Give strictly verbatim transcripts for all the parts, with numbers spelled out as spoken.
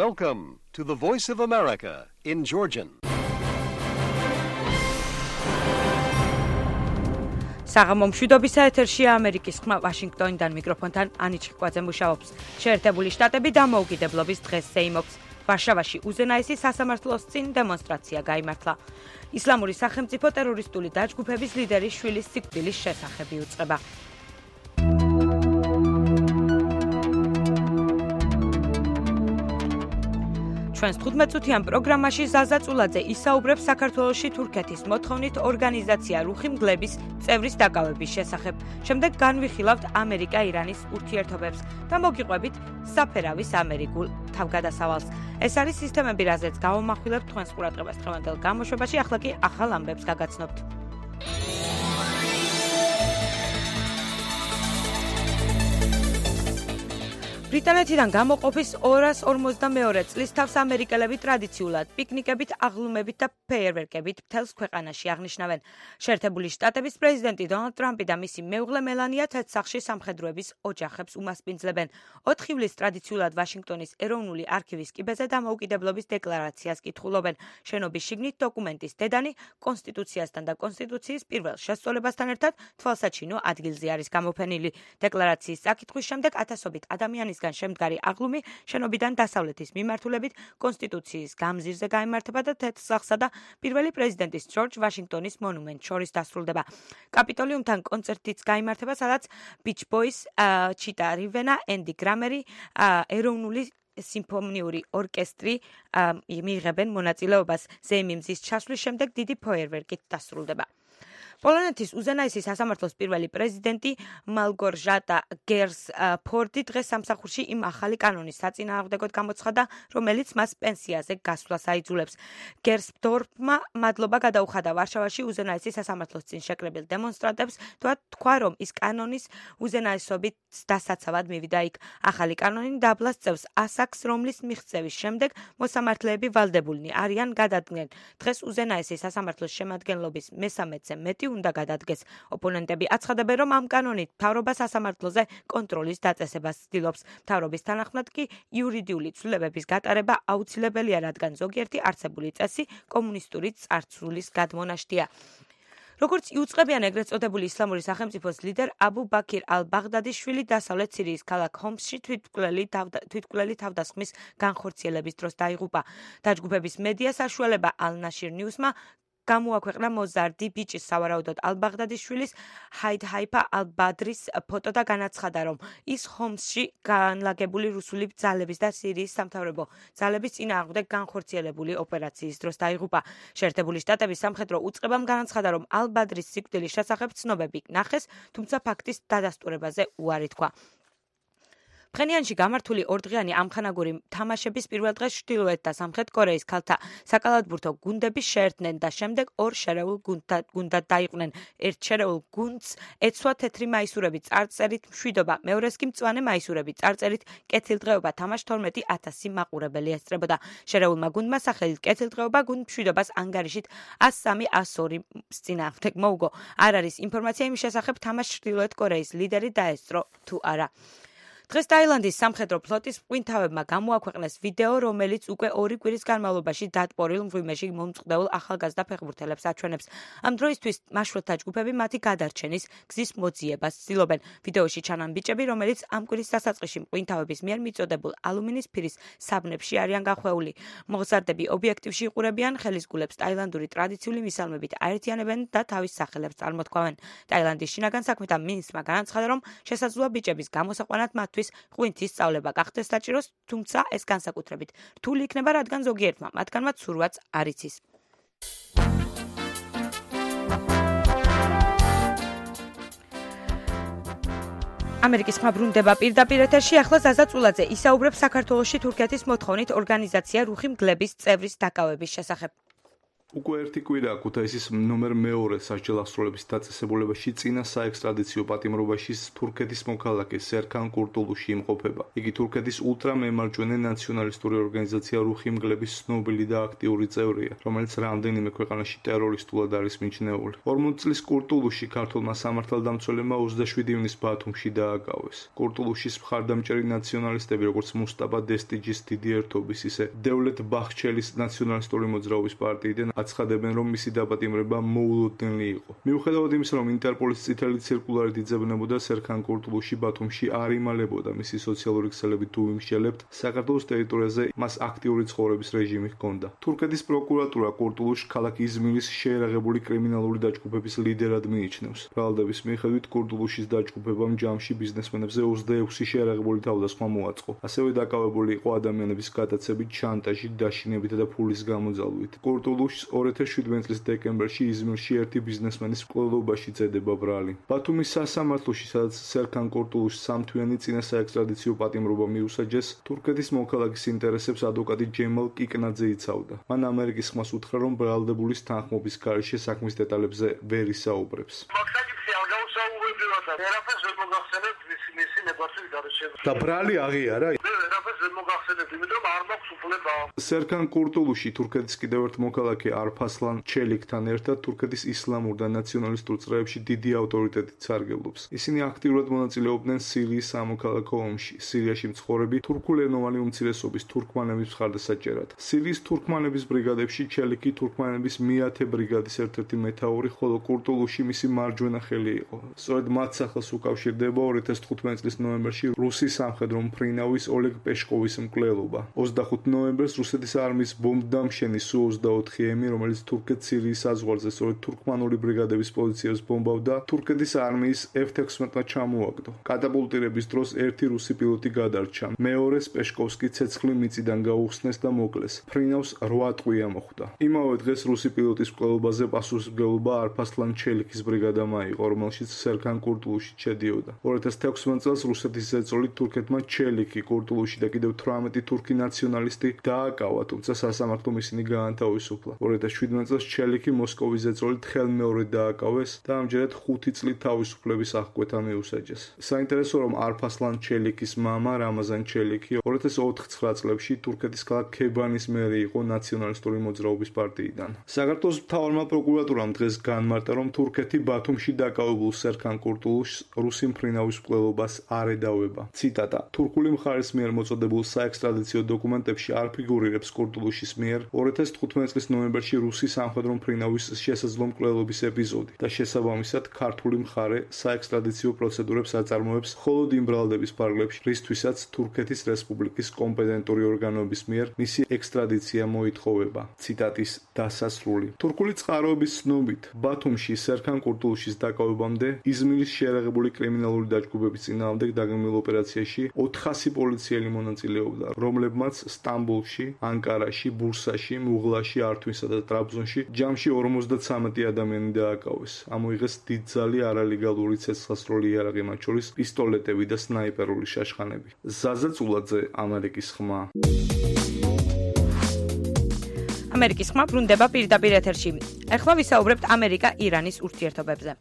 Welcome to the Voice of America in Georgian. საღამო მშვიდობისა ეთერშია ამერიკის ხმა ვაშინგტონიდან მიკროფონთან ანი ჩიკვაძე მუშაობს. შეერთებული შტატები დამოუკიდებლობის დღეს ზეიმობს. ვარშავაში უზენაესი სასამართლოს წინ დემონსტრაცია გაიმართლა. ისლამური სახელმწიფო ტერორისტული დაჯგუფების ლიდერის შვილის სიკვდილის შესახებ იუწყება. ჩვენს თხუთმეტწუთიან პროგრამაში ზაზა წულაძე ისაუბრებს საქართველოში თურქეთის მოთხოვნით ორგანიზაცია რუხი მგლების წევრის დაკავების შესახებ. შემდეგ განვიხილავთ ამერიკა-ირანის ურთიერთობებს და მოგიყვებით საფერავის ამერიკულ თავგადასავალს. ეს არის სისტემები, რაზეც გავამახვილებთ თქვენს ყურადღებას დღევანდელ გამოშვებაში, ახლა კი ახალ ამბებს გაგაცნობთ. ბრიტანეთიდან გამოყოფის ორას ორმოცდამეორე წლის თავს ამერიკელები ტრადიციულად პიკნიკებით, აღლუმებით და ფეიერვერკებით მთელს ქვეყანაში აღნიშნავენ. შეერთებული შტატების პრეზიდენტი დონალდ ტრამპი და მისი მეუღლე მელანია თეთრსახში სამხედროების ოჯახებს უმასპინძლებენ. ოთხ ივლისს ტრადიციულად ვაშინგტონის ეროვნული არქივის კიბეზე დამოუკიდებლობის დეკლარაციას კითხულობენ. შენობის შიგნით დოკუმენტის დედანი კონსტიტუციასთან და კონსტიტუციის პირველ შესწორებასთან ერთად თვალსაჩინო ადგილზე არის გამოფენილი. დეკლარაციის საკითხვის შემდეგ ათასობით ადამიანის შემდგარი აღლუმი შენობიდან დასავლეთის მიმართულებით კონსტიტუციის გამზირზე გაიმართება და თეთრსახსა და პირველი პრეზიდენტის ჯორჯ ვაშინგტონის მონუმენტ შორის დასრულდება. კაპიტოლიუმთან კონცერტიც გაიმართება, სადაც ბიჩ ბოის, ჩიტა რივენა, ენდი გრამერი, ეროვნული სიმფონიური ორკესტრი მიიღებენ მონაწილეობას. ზეიმიმზის ჩასვლის შემდეგ დიდი ფეიერვერკით დასრულდება. პოლონეთის უზენაესი სასამართლოს პირველი პრეზიდენტი მალგორჟატა გერსფორდი დღეს სამსახურში იმ ახალი კანონის საწინააღმდეგოდ გამოცხადა, რომელიც მას პენსიაზე გასვლას აიძულებს. გერსფორდმა მადლობა გადაუხადა ვარშავაში უზენაესი სასამართლოს წინ შეკრებილ დემონსტრანტებს და თქვა, რომ ის კანონის უზენაესობით დასაცავად მივიდა იქ. ახალი კანონი დაბლას წევს ასაკს, რომლის მიღწევის შემდეგ მოსამართლეები ვალდებულნი არიან გადადგნენ. დღეს უზენაესი სასამართლოს შემადგენლობის მესამედზე მეტი უნდა გადადგეს. ოპონენტები აცხადებენ, რომ ამ კანონით მთავრობა სასამართლოზე კონტროლის დაწესებას ცდილობს. მთავრობის თანახმად კი იურიდიული ცვლილებების გატარება აუცილებელია, რადგან ზოგიერთი არსებული წესი კომუნისტური წარსულის გადმონაშთია. როგორც იუწყებიან ეგრეთ წოდებული ისლამური სახელმწიფოს ლიდერ აბუ ბაქირ ალ-ბაღდადის შვილი დასავლეთ სირიის ქალაქ ჰომსში თვითმკვლელი თავდასხმის განხორციელების დროს დაიღუპა. დაჯგუფების მედია საშუალება ალ-ნაშირ ნიუსმა გამოაქვეყნა მოზარდი ბიჭის, სავარაუდოდ ალ-ბაღდადის შვილის ჰაიდ ჰაიფა ალ-ბადრის ფოტო და განაცხადა, რომ ის ჰომსში განლაგებული რუსული ძალების და სირიის სამთავრობო ძალების წინააღმდეგ განხორციელებული ოპერაციის დროს დაიღუპა. შეერთებული შტატების სამხედრო უწყებამ განაცხადა, რომ ალ-ბადრის სიკვდილის შესახებ ცნობები ნახეს, თუმცა ფაქტის დადასტურებაზე უარი თქვა. ფხენიანში გამართული ორდღიანი ამხანაგური თამაშების პირველ დღეს ჩრდილოეთ და სამხრეთ კორეის ქალთა საკალათბურთო გუნდები შეერთდნენ და შემდეგ ორ შერეულ გუნდად დაიყვნენ. ერთ შერეულ გუნდს ეცვა თეთრი მაისურები წარწერით მშვიდობა, მეორეს კი მწვანე მაისურები წარწერით კეთილდღეობა. თამაშს თორმეტი ათასი მაყურებელი ესწრებოდა. შერეულმა გუნდმა სახელით კეთილდღეობა გუნდ მშვიდობას ანგარიშით ას სამი ას ორი წინააღმდეგ მოუგო. არ არის ინფორმაცია იმის შესახებ, თამაშს ჩრდილოეთ კორეის ლიდერი დაესწრო თუ არა. დღეს ტაილანდის სამხედრო ფლოტის მღვინთავებმა გამოაქვეყნეს ვიდეო, რომელიც უკვე ორი კვირის განმავლობაში დატბორილ მღვიმეში მომწყდეულ ახალგაზრდა ფეხბურთელებს აჩვენებს. ამ დროისთვის მაშველთა ჯგუფები მათი გადარჩენის გზის მოძიებას ცდილობენ. ვიდეოში ჩანან ბიჭები, რომელიც ამ კვირის დასაწყისში მღვინთავების მიერ მიწოდებულ ალუმინის ფირის საბნებში არიან გახვეული. მოგზარდები ობიექტივში იყურებიან ხელისგულებს ტაილანდური ტრადიციული მისალმებით აერთიანებენ და თავის სახელებს წარმოთქვამენ. ტაილანდის შინაგან საქმეთა მინისტრმა განაცხადა, რომ შესაძლოა ბიჭების გამოსაყვანად მათ ღვინთის სწავლება გახდეს საჭიროს, თუმცა ეს განსაკუთრებით რთული იქნება, რადგან ზოგიერთმა მათგანმა ცურვაც არ იცის. ამერიკის ხმა ბრუნდება პირდაპირ ეთერში, ახლა ზაზა წულაძე ისაუბრებს საქართველოში თურქეთის მოთხოვნით ორგანიზაცია რუხი მგლების წევრის დაკავების შესახებ. უკვე ერთი კვირა ქუთაისის ნომერ მეორე სასჯელ აღსრულების დაწესებულებაში წინა საექსტრადიციო პატიმრობაში თურქეთის მოქალაქე სერქან კურტულუში იმყოფება. იგი თურქეთის ულტრამემარჯვენე ნაციონალისტური ორგანიზაცია რუხი მგლების ცნობილი და აქტიური წევრია, რომელიც რამდენიმე ქვეყანაში ტერორისტულად არის მიჩნეული. ორმოც წლის კურტულუში ქართულმა სამართალდამცველებმა ოცდაშვიდი ივნის ბათუმში დააკავეს. კურტულუშის მხარდამჭერი ნაციონალისტები, როგორც მუსტაფა დესტიჯის დიდი ერთობის, ისე დევლეთ ბახჩელის ნაციონალისტური მოძრაობის პარტიიდან აცხადებენ, რომ მისი დაპატიმრება მოულოდნელი იყო. მიუხედავად იმისა, რომ ინტერპოლის წითელი ცირკულარით იძებნებოდა სერქან კურტულუში ბათუმში არ იმალებოდა მისი სოციალური ქსელები თუ იმსჯელებთ, საქართველოს ტერიტორიაზე მას აქტიური ცხოვრების რეჟიმი ჰქონდა. თურქეთის პროკურატურა კურტულუშს ქალაქ იზმირის შეერაღებული კრიმინალური დაჯგუფების ლიდერად მიიჩნევს. ბრალდების მიხედვით კურტულუშის დაჯგუფებამ ჯამში ბიზნესმენებზე ოცდაექვსი შეერაღებული თავდასხმა მოაწყო. ასევე დაკავებული იყო ადამიანების გატაცებით, შანტაჟით, დაშინებითა და ფულის გამოძალვით. კურტულუშს ორი ათას შვიდმეტი წლის დეკემბერში იზმირში ერთი ბიზნესმენის მკვლელობაში წედება ბრალი. ბათუმის სასამართლოში, სადაც სერქან კურტულუშს სამთვიანი წინა საექსტრადიციო პატიმრობა მიუსაჯეს, თურქეთის მოქალაქის ინტერესებს ადვოკატი ჯემალ კიკნაძე იცავდა. მან ამერიკის ხმას უთხრა, რომ ბრალდებულის თანხმობის გარეშე საქმის დეტალებზე ვერ ისაუბრებს. და ბრალი აღიარა? სერქან კურტულუში თურქეთის კიდევ ერთ მოქალაქე არფასლან ჩელიქთან ერთად თურქეთის ისლამურ და ნაციონალისტურ წრეებში დიდი ავტორიტეტით სარგებლობს. ისინი აქტიურად მონაწილეობდნენ სირიის სამოქალაქო ომში. სირიაში მცხოვრები თურქულენოვანი უმცირესობის თურქმანების მხარდასაჭერად. სირიის თურქმანების ბრიგადებში ჩელიქი თურქმანების მეათე ბრიგადის ერთ-ერთი მეთაური, ხოლო კურტულუში მისი მარჯვენა ხელი იყო. სწორედ მათ სახელს უკავშირდება ორი ათას თხუთმეტი წლის ნოემბერში რუსის სამხედრო მფრინავის ოლეგ პეშკოვის მკვლელობა. ოცდახუთი ნოემბერს რუსეთის არმიის ბომბდამშენი სუ ოცდაოთხი ემი, რომელიც თურქეთ-სირიის საზღვარზე სწორედ თურქმანული ბრიგადების პოზიციებს ბომბავდა, თურქეთის არმიის ეფ ექვსმეტმა ჩამოაგდო. კატაპულტირების დროს ერთი რუსი პილოტი გადარჩა. მეორეს პეშკოვსკი ცეცხლი მიწიდან გაუხსნეს და მოკლეს. ფრინავს რვა ტყვია მოხვდა. იმავე დღეს რუსი პილოტის მკვლელობაზე პასუხისმგებლობა არფასლან ჩელიქის ბრიგადამ აიღო, რომელშიც სერქან კურტულუში შედიოდა. ორი ათას თექვსმეტი წელს რუსეთის ზეწოლით თურქეთმა ჩელიქი, კურტულუში და კიდევ თვრამეტი თურქი ნაციონალისტი დააკავა, თუმცა სასამართლომ ისინი გაანთავისუფლა. ორი ათას შვიდმეტი წელს ჩელიქი მოსკოვის ზეწოლით ხელმეორედ დააკავეს და ამჯერად ხუთი წლით თავისუფლების აღკვეთა მიუსაჯეს. საინტერესოა, რომ არფასლან ჩელიქის მამა რამაზან ჩელიქი ორი ათას ოცდათხმეტ წლებში თურქეთის ქალაქ ქებანის მერი იყო ნაციონალისტური მოძრაობის პარტიიდან. საქართველოს მთავარმა პროკურატურამ დღეს განმარტა, რომ თურქეთი ბათუმში დაკავებულ სერქან კურტულუშს რუსი მფრინავის მკვლელობას არ ედავება. ციტატა: თურქული მხარის მიერ მოწოდებულ საექსტრადიციო დოკუმენტებში არ ფიგურირებს კურტულუშის მიერ ორი ათას თხუთმეტი წლის ნოემბერში რუსი სამხედრო მფრინავის შესაძლო მკვლელობის ეპიზოდი და შესაბამისად ქართული მხარე საექსტრადიციო პროცედურებს აწარმოებს მხოლოდ იმ ბრალდების ფარგლებში, რისთვისაც თურქეთის რესპუბლიკის კომპეტენტური ორგანოების მიერ მისი ექსტრადიცია მოითხოვება. ციტატის დასასრული. თურქული წყაროების ცნობით, ბათუმში სერქან კურტულუშის დაკავებამდე იზმირის შეერაღებული კრიმინალური დაჯგუფების წინააღმდეგ დაგეგმილ ოპერაციაში ოთხასი პოლიციელი მონაწილეობდა, რომლებმაც სტამბოლში, ანკარაში, ბურსაში, მუღლაში, ართვინსა და ტრაბზონში ჯამში ორმოცდაცამეტი ადამიანი დააკავეს. ამოიღეს დიდძალი არალეგალური ცეცხლსასროლი იარაღი, მათ შორის პისტოლეტები და სნაიპერული შაშხანები. ზაზა წულაძე, ამერიკის ხმა. ამერიკის ხმა ბრუნდება პირდაპირ ეთერში. ახლა ვისაუბრებთ ამერიკა-ირანის ურთიერთობებზე.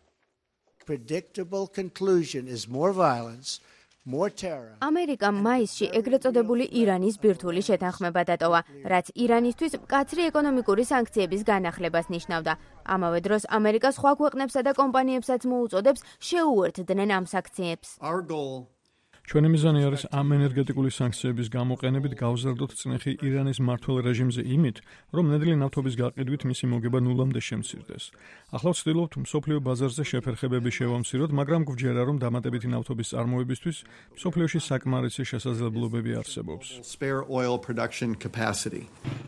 Predictable conclusion is more violence. ამერიკამ მაისში ეგრეთ წოდებული ირანის ბირთვული შეთანხმება დატოვა, რაც ირანისთვის მკაცრი ეკონომიკური სანქციების განახლებას ნიშნავდა. ამავე დროს ამერიკა სხვა ქვეყნებსა და კომპანიებსაც მოუწოდებს შეუერთდნენ ამ სანქციებს. ჩვენი მიზანი არის ამ ენერგეტიკული სანქციების გამოყენებით გავზარდოთ წნეხი ირანის მმართველ რეჟიმზე იმით, რომ ნედლი ნავთობის გაყიდვით მისი მოგება ნულამდე შემცირდეს. ახლა ვცდილობთ მსოფლიო ბაზარზე შეფერხებები შევამციროთ, მაგრამ გვჯერა, რომ დამატებითი ნავთობის წარმოებისთვის მსოფლიოში საკმარისი შესაძლებლობები არსებობს.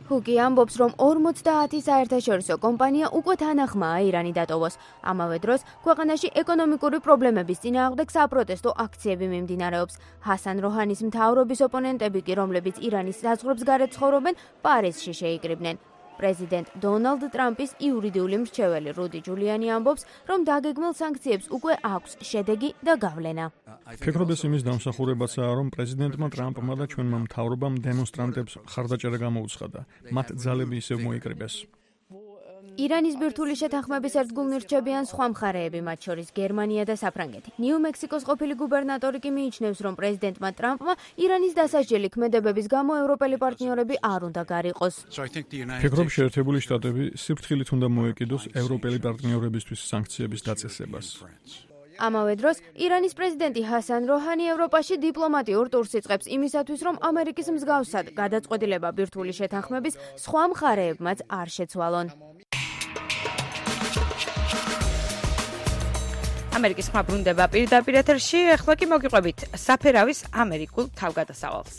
ჰუკი ამბობს, რომ ორმოცდაათი საერთაშორისო კომპანია უკვე თანახმაა ირანი დატოვოს. ამავე დროს ქვეყანაში ეკონომიკური პრობლემების წინააღმდეგ საპროტესტო აქციები მიმდინარეობს. ჰასან როჰანის მთავრობის ოპონენტები კი, რომლებიც ირანის საზღვრებს გარეთ ცხოვრობენ, პარიზში შეიკრიბნენ. პრეზიდენტ დონალდ ტრამპის იურიდიული მრჩეველი რუდი ჯულიანი ამბობს, რომ დაგეგმილ სანქციებს უკვე აქვს შედეგი და გავლენა. ფიქრობდეს იმის დამსახურებაცაა, რომ პრეზიდენტმა ტრამპმა და ჩვენმა მთავრობამ დემონსტრანტებს მხარდაჭერა გამოუცხადა. მათ ძალები ისევ მოიკრიბეს. ირანის ბირთვული შეთანხმების ერთგულნი რჩებიან სხვა მხარეები, მათ შორის გერმანია და საფრანგეთი. ნიუ-მექსიკოს ყოფილი გუბერნატორი კი მიიჩნევს, რომ პრეზიდენტმა ტრამპმა ირანის დასაჯელი ქმედებების გამო ევროპელი პარტნიორები არ უნდა გარიყოს. ფიქრობ, შეერთებული შტატები სიფრთხილით უნდა მოეკიდოს ევროპელი პარტნიორებისთვის სანქციების დაწესებას. ამავე დროს, ირანის პრეზიდენტი ჰასან როჰანი ევროპაში დიპლომატიურ ტურს იწყებს იმისათვის, რომ ამერიკის მსგავსად გადაწყვეტილება ბირთვული შეთანხმების სხვა მხარეებმაც არ შეცვალონ. ამერიკის ხმა ბრუნდება პირდაპირ ეთერში, ახლა კი მოგიყვებით საფერავის ამერიკულ თავგადასავალს.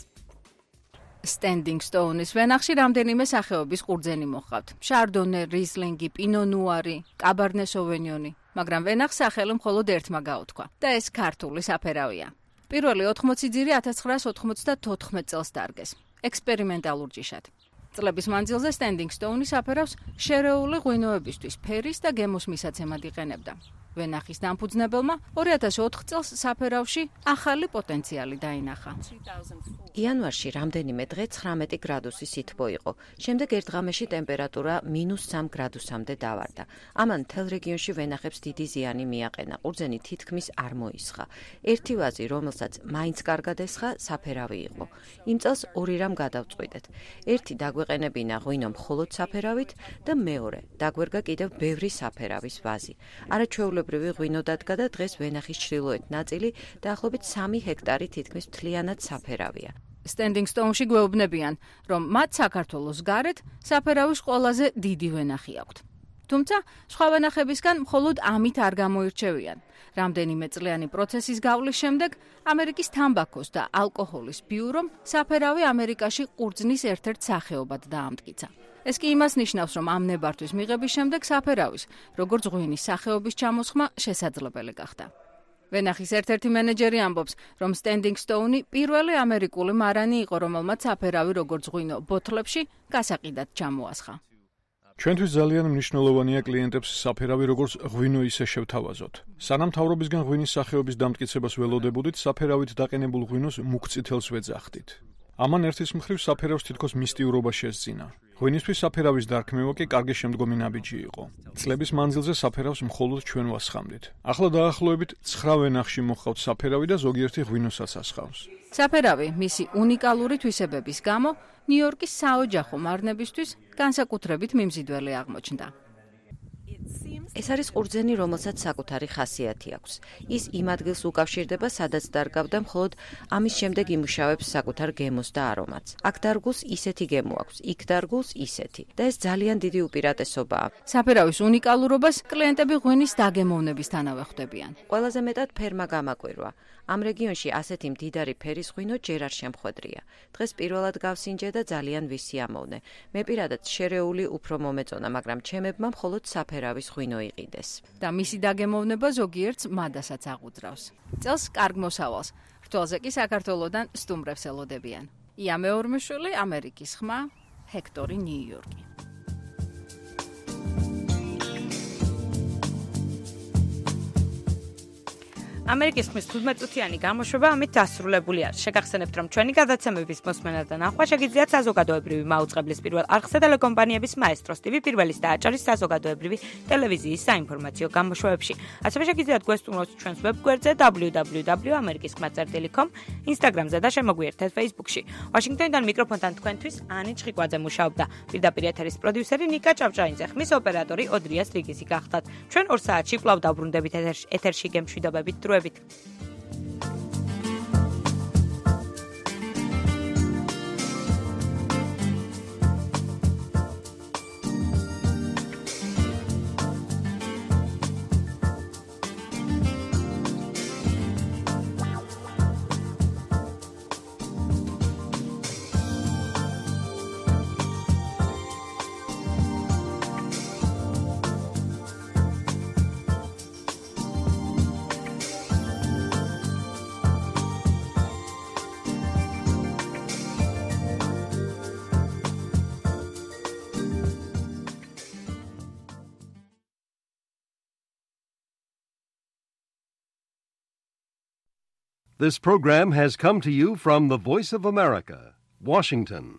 Standing Stone-ის ვენახში რამდენიმე სახეობის ყურძენი მოჰყავთ. შარდონე, რისლინგი, პინო ნუარი, კაბარნე სოვინიონი, მაგრამ ვენახს სახელი მხოლოდ ერთმა გაუთქვა და ეს ქართული საფერავია. პირველი ოთხმოცი ძირი ათას ცხრაას ოთხმოცდათოთხმეტ წელს დარგეს, ექსპერიმენტალურ ჯიშად. წლების მანძილზე Standing Stone საფერავს შერეული ღვინოებისთვის ფერის და გემოს მისაცემად იყენებდა. ვენახის დამფუძნებელმა ორი ათას ოთხ წელს საფერავში ახალი პოტენციალი დაინახა. იანვარში რამდენიმე დღე ცხრამეტი გრადუსი სითბო იყო. შემდეგ ერთ ღამეში ტემპერატურა მინუს სამ გრადუსამდე დავარდა. ამან მთელ რეგიონში ვენახებს დიდი ზიანი მიაყენა. ყურძენი თითქმის არ მოისხა. ერთი ვაზი, რომელსაც მაინც კარგად ესხა, საფერავი იყო. იმ წელს ორი რამ გადავწყვიტეთ. ერთი დაგვეყენებინა ღვინო მხოლოდ საფერავით და მეორე დაგვერგა კიდევ ბევრი საფერავის ვაზი. არაჩვეულებრივი ღვინო დადგა და დღეს ვენახის ჩრდილოეთ ნაწილი დაახლოებით სამი ჰექტარი თითქმის მთლიანად საფერავია. Standing Stone-ში გვეუბნებიან, რომ მათ საქართველოს გარეთ საფერავის ყველაზე დიდი ვენახი აქვთ. თუმცა სხვა ვენახებისგან მხოლოდ ამით არ გამოირჩევიან. რამდენიმე წლიანი პროცესის გავლის შემდეგ ამერიკის თამბაქოს და ალკოჰოლის ბიურომ საფერავი ამერიკაში ყურძნის ერთ-ერთ სახეობად დაამტკიცა. ეს კი იმას ნიშნავს, რომ ამ ნებართვის მიღების შემდეგ საფერავის, როგორც ღვინის სახეობის ჩამოსხმა შესაძლებელი გახდა. ვენახის ერთ-ერთი მენეჯერი ამბობს, რომ Standing Stone პირველი ამერიკული მარანი იყო, რომელმაც საფერავი როგორც ღვინო ბოთლებში გასაყიდად ჩამოასხა. ჩვენთვის ძალიან მნიშვნელოვანია კლიენტებს საფერავი როგორც ღვინო ისე შევთავაზოთ. სანამ მთავრობისგან ღვინის სახეობის დამტკიცებას ველოდებოდით, საფერავით დაყენებულ ღვინოს მუქწითელს ვეძახდით. ამან ერთის მხრივ საფერავს თითქოს მისტიურობა შესძინა. ღვინისთვის საფერავის დარქმევა კი კარგი შემდგომი ნაბიჯი იყო. წლების მანძილზე საფერავს მხოლოდ ჩვენ ვასხამდით. ახლა დაახლოებით ცხრა ვენახში მოჰყავთ საფერავი და ზოგიერთი ღვინოსაც ასხავს. საფერავი მისი უნიკალური თვისებების გამო ნიუ-იორკის საოჯახო მარნებისთვის განსაკუთრებით მიმზიდველი აღმოჩნდა. ეს არის ყურძენი, რომელსაც საკუთარი ხასიათი აქვს. ის იმ ადგილს უკავშირდება, სადაც დარგავდა, მხოლოდ ამის შემდეგ იმუშავებს საკუთარ გემოს და არომატს. აქ დარგულს ისეთი გემო აქვს, იქ დარგულს ისეთი და ეს ძალიან დიდი უპირატესობაა. საფერავის უნიკალურობას კლიენტები ღვინის დაგემოვნებისთანავე ხვდებიან. ყველაზე მეტად ფერმა გამაკვირვა. ამ რეგიონში ასეთი მდიდარი ფერის ღვინო ჯერ არ შემხვედრია. დღეს პირველად გავსინჯე და ძალიან ვისიამოვნე. მე პირადად შერეული უფრო მომეწონა, მაგრამ ჩემებმა მხოლოდ საფერავის ღვინო იყიდეს. და მისი დაგემოვნება ზოგიერთს მადასაც აღუძრავს. წელს კარგ მოსავალს. რთველზე კი საქართველოდან სტუმრებს ელოდებიან. ია მეორმეშვილი, ამერიკის ხმა, ჰექტორი, ნიუ-იორკი. ამერიკის ხმის თხუთმეტწუთიანი გამოშვება ამით დასრულებულია. შეგახსენებთ, რომ ჩვენი გადაცემების მოსმენა და ნახვა შეგიძლიათ საზოგადოებრივი მაუწყებლის პირველ არხზე ტელეკომპანიების მაესტროს ტივი პირველის და აჭარის საზოგადოებრივი ტელევიზიის საინფორმაციო გამოშვებებში. ასევე შეგიძლიათ გვესტუმროთ ჩვენს ვებგვერდზე დაბლიუ დაბლიუ დაბლიუ ამერიკის ხმა წერტილი კომ, ინსტაგრამზე და შემოგვიერთეთ ფეისბუქში. ვაშინგტონიდან მიკროფონთან თქვენთვის ანი ჩხიკვაძე მუშაობდა. პირდაპირ ეთერის პროდიუსერი ნიკა ჭავჭაინძე, ხმის ოპერატორი ოდრია სტრიგიზი გახდათ. ჩვენ ორ საათში კვლავ დავბრუნდებით ეთერში გემშვიდობებით დროებით. This program has come to you from the Voice of America, Washington.